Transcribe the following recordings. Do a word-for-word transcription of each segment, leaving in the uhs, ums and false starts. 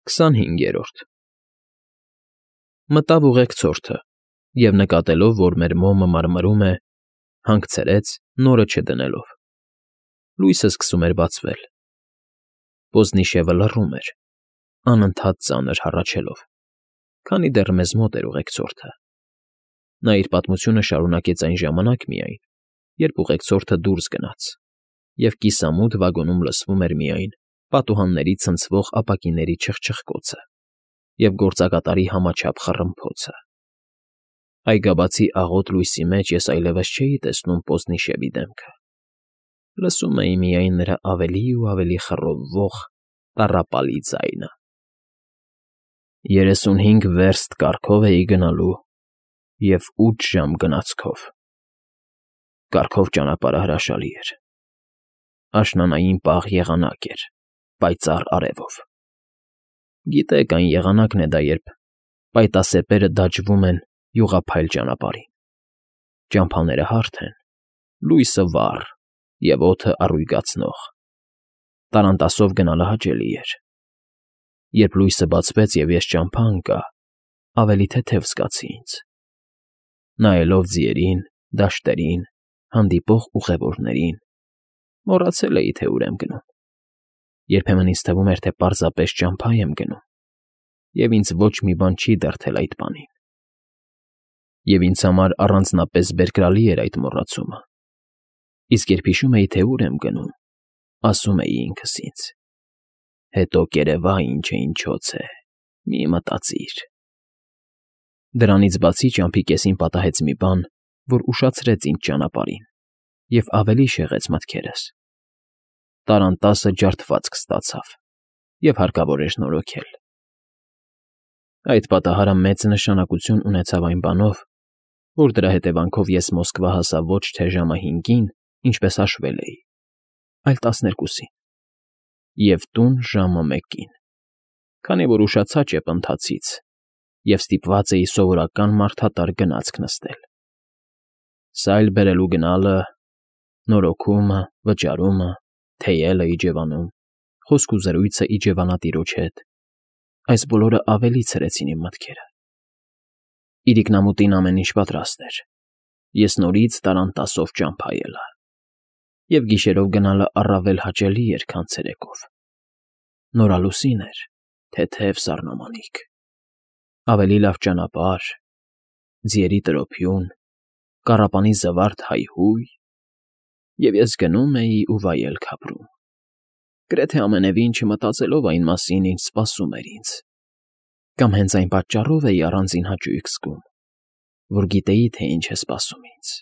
Քսանհինգերորդ Մտավ ուղեկցորդը և, նկատելով, որ մեր մոմը մարմրում է, հանգցրեց, նորը չդնելով. լույսը սկսում էր բացվել, պոզնիշևը լռում էր, անընդհատ ծանր հառաչելով, քանի դեռ մեզ մոտ էր ուղեկցորդը. նա իր պատմությունը շարունակեց այն ժամանակ միայն, երբ ուղեկցորդը դուրս գնաց, և կիսամութ վագոնում լսվում էր միայն պատուհանների ցնցվող ապակիների չխչխկոցը և գործակատարի համաչափ խռմփոցը. այգաբացի աղոտ լույսի մեջ ես այլևս չէի տեսնում Պոզնիշևի դեմքը, լսում էի միայն նրա ավելի ու ավելի խռովվող տառապալի ձայնը։ Երեսունհինգ վերստ կառքով էի գնալու և ութ ժամ գնացքով. կառքով ճանապարհը հրաշալի էր, աշնանային պաղ եղանակ էր, պայծառ արևով. գիտեք, այն եղանակն է դա, երբ պայտասեպերը դաջվում են յուղափայլ ճանապարհին, ճամփաները հարթ են, լույսը վառ և օդը առույգացնող, տառանտասով գնալը հաճելի էր. երբ լույսը բացվեց և ես ճամփա ընկա, ավելի թեթև զգացի ինձ, նայելով ձիերին, դաշտերին, հանդիպող ուղևորներին, մոռացել էի, թե ուր եմ գնում, երբեմն ինձ թվում էր, թե պարզապես ճամփա եմ գնում, և ինձ ոչ մի բան չի դրդել այդ բանին, և ինձ համար առանձնապես բերկրալի էր այդ մոռացումը, իսկ երբ հիշում էի, թե ուր եմ գնում, ասում էի ինքս ինձ. հետո կերևա ինչը ինչոց է, մի մտածիր… Դրանից բացի ճամփի կեսին պատահեց մի բան, որ ուշացրեց ինձ ճանապարհին և ավելի շեղեց մտքերս. տառանտասը ջարդվածք ստացավ և հարկավոր էր նորոգել… Այդ պատահարը մեծ նշանակություն ունեցավ այն բանով, որ դրա հետևանքով ես Մոսկվա հասա ոչ թե ժամը հինգին, ինչպես հաշվել էի, այլ տասներկուսին, և տուն ժամը մեկին, քանի որ ուշացա ճեպընթացից և ստիպված էի սովորական մարդատար գնացք նստել. սայլ բերելու գնալը, նորոգումը, վճարումը, թեյելը իջևանում, խոսք ու զրույցը իջևանատիրոջ հետ, այս բոլորը ավելի ցրեցին իմ մտքերը… Իրիկնամուտին ամեն ինչ պատրաստ էր, ես նորից տառանտասով ճամփա ելա, և գիշերով գնալը առավել հաճելի էր, քան ցերեկով. նորալուսին էր, թեթև սառնամանիք, ավելի լավ ճանապարհ, ձիերի տրոփյուն, կառապանի զվարթ հայհույն, և ես գնում էի ու վայելք ապրում, գրեթե ամենևին չմտածելով այն մասին, ինչ սպասում էր ինձ, կամ հենց այն պատճառով էի առանձին հաճույք զգում, որ գիտեի, թե ինչ է սպասում ինձ,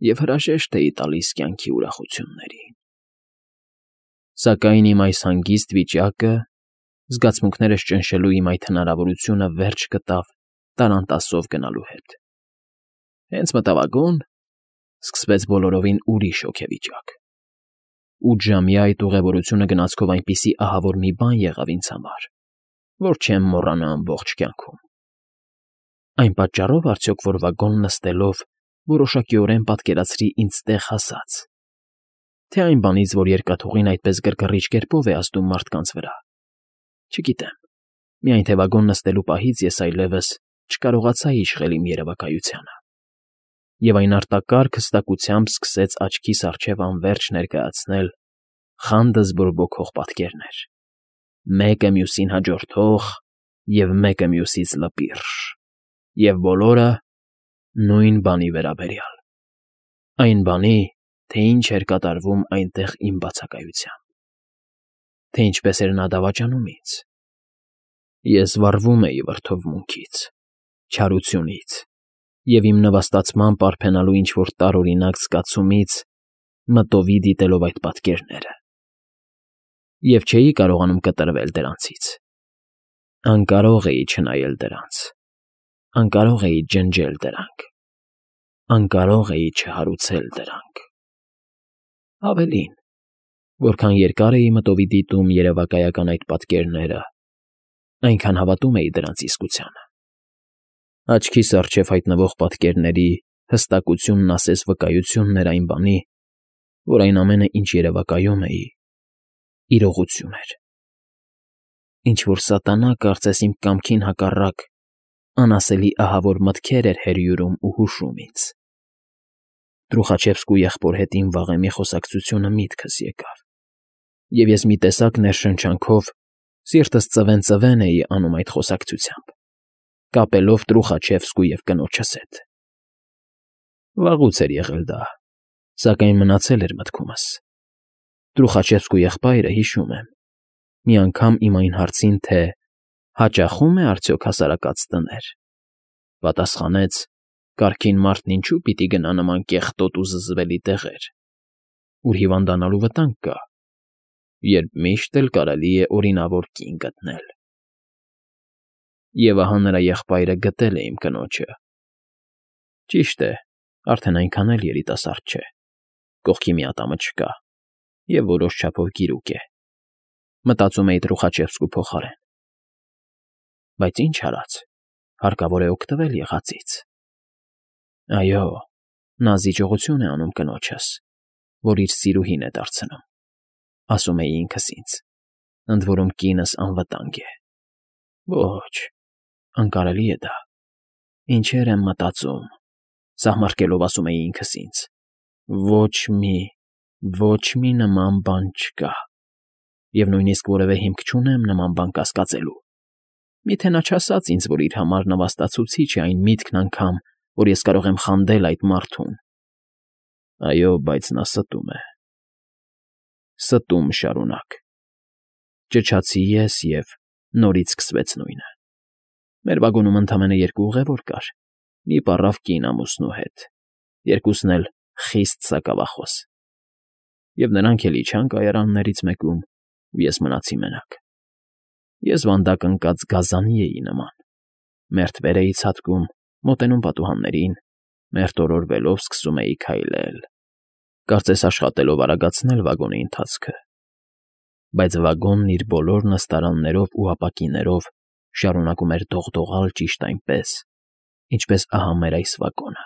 և հրաժեշտ էի տալիս կյանքի ուրախություններին… Սակայն իմ այս հանգիստ վիճակը, զգացմունքներս ճնշելու իմ այդ հնարավորությունը վերջ գտավ տառանտասով գնալու հետ. հենց մտա վագոն, սկսվեց բոլորովին ուրիշ հոգեվիճակ… Ութժամյա այդ ուղևորությունը գնացքով այնպիսի ահավոր մի բան եղավ ինձ համար, որ չեմ մոռանա ամբողջ կյանքում… Այն պատճառո՞վ արդյոք, որ վագոն նստելով որոշակիորեն պատկերացրի ինձ տեղ հասած, թե՞ այն բանից, որ երկաթուղին այդպես գրգռիչ կերպով է ազդում մարդկանց վրա… Չգիտեմ, միայն թե վագոն նստելու պահից ես այլևս չկարողացա իշխել իմ երևակայությանը, և այն արտակարգ հստակությամբ սկսեց աչքիս առջև անվերջ ներկայացնել խանդս բորբոքող պատկերներ, մեկը մյուսին հաջորդող և մեկը մյուսից լպիրշ, և բոլորը նույն բանի վերաբերյալ… Այն բանի, թե ինչ էր կատարվում այնտեղ իմ բացակայությամբ, թե ինչպես էր նա դավաճանում ինձ… Ես վառվում էի վրդովմունքից, չարությունից և իմ նվաստացման պարփենալու ինչ֊որ տարօրինակ զգացումից, մտովի դիտելով այդ պատկերները… Եվ չէի կարողանում կտրվել դրանցից… Անկարող էի չնայել դրանց, անկարող էի ջնջել դրանք, անկարող էի չհարուցել դրանք… Ավելին, որքան երկար էի մտովի դիտում երևակայական այդ պատկերները, այնքան հավատում էի դրանց իսկությանը… Աչքիս առջև հայտնվող պատկերների հստակությունն ասես վկայությունն էր այն բանի, որ այն ամենը, ինչ երևակայում էի, իրողություն էր… Ինչ-որ սատանա, կարծես իմ կամքին հակառակ, անասելի ահավոր մտքեր էր հրյուրում ու հուշում ինձ։ Թրուխաչևսկու եղբոր հետ իմ վաղեմի խոսակցությունը միտքս եկավ, և ես մի տեսակ ներշնչանքով, սիրտս ծվեն֊ծվեն էի անում այդ խոսակցությամբ, կապելով Թրուխաչևսկու և կնոջս հետ։ Վաղուց էր եղել դա, սակայն մնացել էր մտքումս։ Թրուխաչևսկու եղբայրը, հիշում եմ, մի անգամ իմ այն հարցին, թե հաճախո՞ւմ է արդյոք հասարակած տներ, պատասխանեց. «Կարգին մարդն ինչո՞ւ պիտի գնա նման կեղտոտ ու զզվելի տեղեր, ուր հիվանդանալու վտանգ կա, երբ միշտ էլ կարելի է օրինավոր կին գտնել»։ Եվ ահա նրա եղբայրը գտել է իմ կնոջը։ Ճիշտ է, արդեն այնքան էլ երիտասարդ չէ, կողքի մի ատամը չկա և որոշ չափով գիրուկ է, մտածում էի Թրուխաչևսկու փոխարեն։ Բայց ինչ արած, հարկավոր է օգտվել եղածից։ Այո, նա զիջողություն է անում կնոջս, որ իր սիրուհին է դարձնում, ասում էի ինքս ինձ, ընդ որում կինս անվտանգ է։ Ոչ, անկարելի է դա, ինչեր եմ մտածում, սահմռկելով ասում էի ինքս ինձ. ոչ մի, ոչ մի նման բան չկա, և նույնիսկ որևէ հիմք չունեմ նման բան կասկածելու։ Միթե նա չասաց ինձ, որ իր համար նվաստացուցիչ է այն միտքն անգամ, որ ես կարող եմ խանդել այդ մարդուն։ Այո, բայց նա ստում է, ստում շարունակ։ Ճչացի ես, և նորից սկսվեց նույնը։ Մեր վագոնում ընդամենը երկու ուղևոր կար, մի պառավ կին ամուսնու հետ, երկուսն էլ խիստ սակավախոս, և նրանք էլ իջան կայարաններից մեկում, ու ես մնացի մենակ։ Ես վանդակ ընկած գազանի էի նման, մերթ վեր էի ցատկում, մոտենում պատուհաններին, մերթ օրորվելով սկսում էի քայլել, կարծես աշխատելով արագացնել վագոնի ընթացքը։ Բայց վագոնն իր բոլոր նստարաններով ու ապակիներով շարունակում էր դողդողալ ճիշտ այնպես, ինչպես ահա մեր այս վագոնը։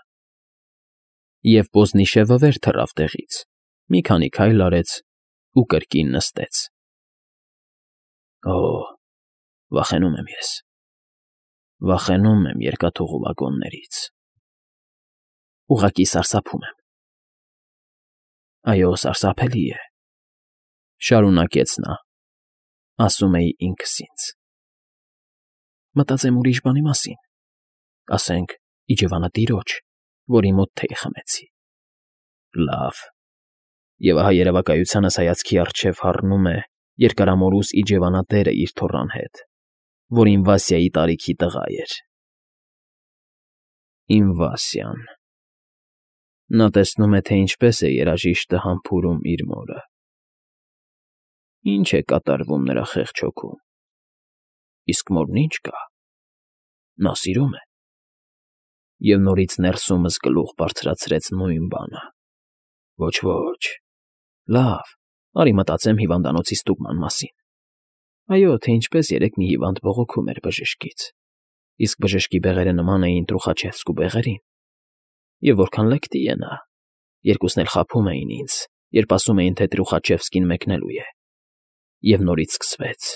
Եվ Պոզնիշևը վեր թռավ տեղից, մի քանի քայլ արեց ու կրկին նստեց։ Օ՜, վախենում եմ ես, վախենում եմ երկաթուղու վագոններից, ուղղակի սարսափում եմ։ Այո, սարսափելի է, շարունակեց նա, ասում էի ինքս ինձ։ Մտածեմ ուրիշ բանի մասին, ասենք իջևանատիրոջ, որի մոտ թեյ խմեցի։ Լավ, և ահա երևակայությանս հայացքի առջև հառնում է երկարամորուս իջևանատերը իր թոռան հետ, որ իմ Վասյայի տարիքի տղա էր։ Իմ Վասյան… Նա տեսնում է, թե ինչպես է երաժիշտը համբուրում իր մորը, ինչ է կատարվում նրա խեղճ հոգում, իսկ մորն ինչ կա… նա սիրում է։ Եվ նորից ներսումս գլուխ բարձրացրեց նույն բանը. ոչ֊ոչ, լավ, արի մտածեմ հիվանդանոցի ստուգման մասին։ Այո, թե ինչպես երեկ մի հիվանդ բողոքում էր բժշկից, իսկ բժշկի բեղերը նման էին Թրուխաչևսկու բեղերին, և որքան լկտի է նա, երկուսն էլ խաբում էին ինձ, երբ ասում էին, թե Թրուխաչևսկին մեկնելու է։ Եվ նորից սկսվեց…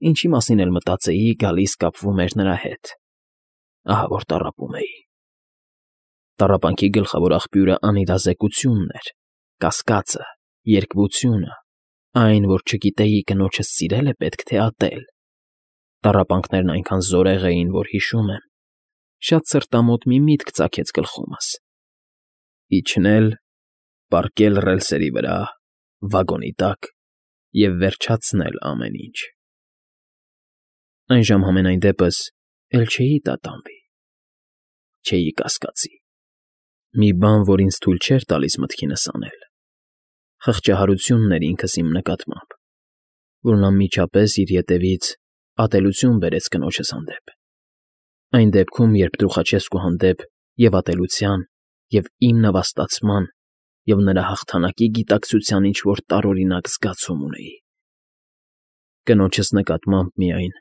Ինչի մասին էլ մտածեի, գալիս կապվում էր նրա հետ, ահա որ տառապում էի։ Տառապանքի գլխավոր աղբյուրը անիրազեկությունն էր, կասկածը, երկվությունը, այն, որ չգիտեի կնոջս սիրել է պետք թե ատել։ Տառապանքներն այնքան զորեղ էին, որ, հիշում եմ, շատ սրտամոտ մի միտք ծագեց գլխումս. իջնել, պառկել ռելսերի վրա, վագոնի տակ և վերջացնել ամեն ինչ։ Այն ժամ համենայն դեպս էլ չէի տատանվի, չէի կասկածի։ Մի բան, որ ինձ թույլ չէր տալիս մտքինս անել, խղճահարությունն էր ինքս իմ նկատմամբ, որն անմիջապես իր ետևից ատելություն բերեց կնոջս հանդեպ, այն դեպքում, երբ Թրուխաչևսկու հանդեպ և ատելության, և իմ նվաստացման, և նրա հաղթանակի գիտակցության ինչ֊որ տարօրինակ զգացում ունեի։ Կնոջս նկատմամբ միայն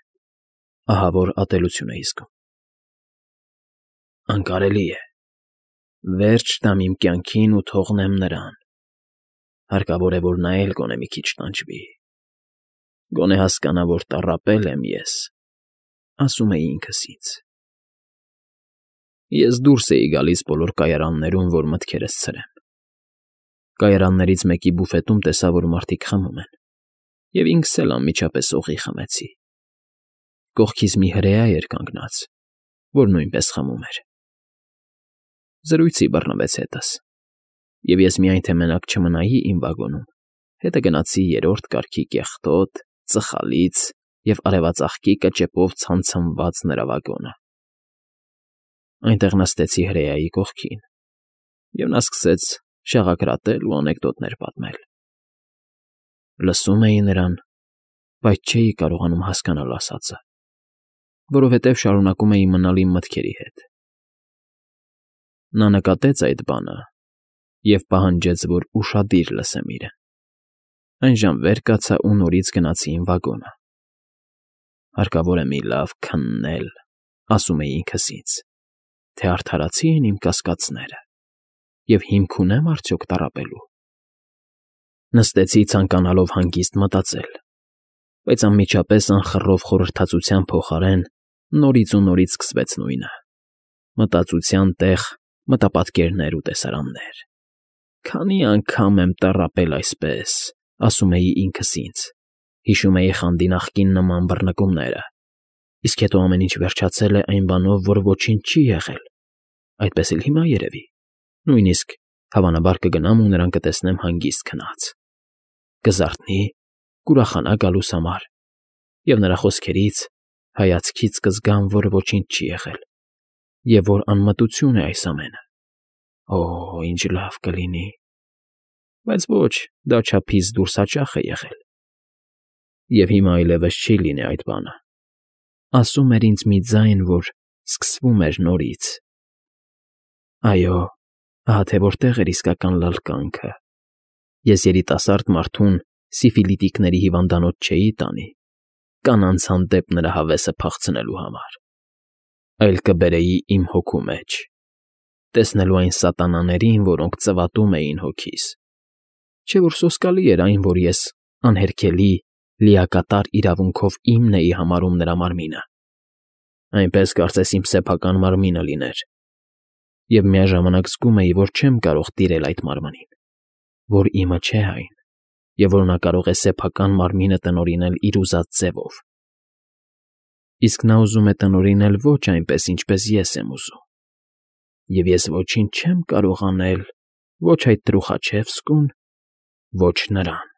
ահավոր ատելություն էի զգում։ Անկարելի է, վերջ տամ իմ կյանքին ու թողնեմ նրան, հարկավոր է, որ նա էլ գոնե մի քիչ տանջվի։ Գոնե հասկանա, որ տառապել եմ ես, ասում էի ինքս ինձ։ Ես դուրս էի գալիս բոլոր կայարաններում, որ մտքերս ցրեմ։ Կայարաններից մեկի բուֆետում տեսա, որ մարդիկ խմում են, և ինքս էլ անմիջապես օղի խմեցի։ Կողքիս մի հրեա էր կանգնած, որ նույնպես խմում էր։ Զրույցի բռնվեց հետս, և ես միայն թե մենակ չմնայի իմ վագոնում, հետը գնացի երրորդ կարգի կեղտոտ, ծխալից և արևածաղկի կճեպով ցամցմված նրա վագոնը։ Այնտեղ նստեցի հրեայի կողքին, և նա սկսեց շաղակրատել ու անեկդոտներ պատմել։ Լսում էի նրան, բայց չէի կարողանում հասկանալ ասածը, որովհետև շարունակում էի մնալ իմ մտքերի հետ։ Նա նկատեց այդ բանը և պահանջեց, որ ուշադիր լսեմ իրեն։ Այնժամ վեր կացա ու նորից գնացի իմ վագոնը։ «Հարկավոր է մի լավ քննել», ասում էի ինքս ինձ, «թե արդարացի են իմ կասկածները, և հիմք ունե՞մ արդյոք տառապելու»։ Նստեցի, ցանկանալով հանգիստ մտածել, բայց անմիջապես անխռով խորհրդածության փոխարեն նորից ու նորից սկսվեց նույնը՝ մտածության տեղ մտապատկերներ ու տեսարաններ։ «Քանի՞ անգամ եմ տառապել այսպես», ասում էի ինքս ինձ, հիշում էի խանդի նախկին նման բռնկումները, իսկ հետո ամեն ինչ վերջացել է այն բանով, որ ոչինչ չի եղել, այդպես էլ հիմա, երևի, նույնիսկ, հավանաբար, կգնամ ու նրան կտեսնեմ հանգիստ քնած, կզարթնի, կուրախանա գալուս համար, և նրա խոսքերից, հայացքից կզգամ, որ ոչինչ չի եղել, և որ անմտություն է այս ամենը։ Օ՜, ինչ լավ կլինի… Բայց ոչ, դա չափից դուրս հաճախ է եղել, և հիմա այլևս չի լինի այդ բանը, ասում էր ինձ մի ձայն, որ սկսվում էր նորից։ Այո, ահա թե որտեղ էր իսկական լալկանքը։ Ես երիտասարդ մարդուն սիֆիլիտիկների հիվանդանոց չէի տանի, կանանց հանդեպ նրա հավեսը փախցնելու համար, այլ կբերեի իմ հոգու մեջ, տեսնելու այն սատանաներին, որոնք ծվատում էին հոգիս։ Չէ՞ որ սոսկալի էր այն, որ ես անհերքելի, լիակատար իրավունքով իմն էի համարում նրա մարմինը, այնպես կարծես իմ սեփական մարմինը լիներ, և միաժամանակ զգում էի, որ չեմ կարող տիրել այդ մարմնին, որ իմը չէ այն, և որ նա կարող է սեփական մարմինը տնօրինել իր ուզած ձևով։ Իսկ նա ուզում է տնօրինել ոչ այնպես, ինչպես ես եմ ուզում, և ես ոչինչ չեմ կարող անել ոչ այդ Տրուխաչևսկուն, ոչ նրան։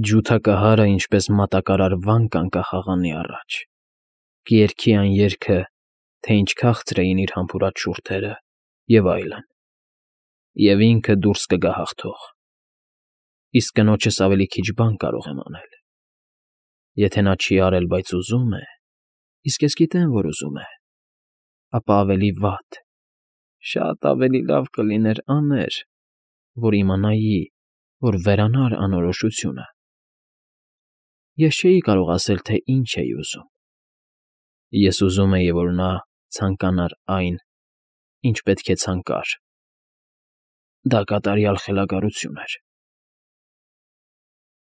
Ջութակահարը ինչպես մատակարար վան կանկա խաղանի առաջ, կերգի այն երգը, թե ինչ քաղցր էին իր համբուրած շուրթերը, և այլն, և ինքը դուրս կգա հաղթող։ Իսկ կնոջս ավելի քիչ բան կարող եմ անել։ Եթե նա չի արել, բայց ուզում է, իսկ ես գիտեմ, որ ուզում է, ապա ավելի վատ, շատ ավելի լավ կլիներ աներ, որ իմանայի, որ վերանար անորոշությունը։ Ես չէի կարող ասել, թե ինչ էի ուզում։ Ես ուզում էի, որ նա ցանկանար այն, ինչ պետք է ցանկար։ Դա կատարյալ խելագարություն էր։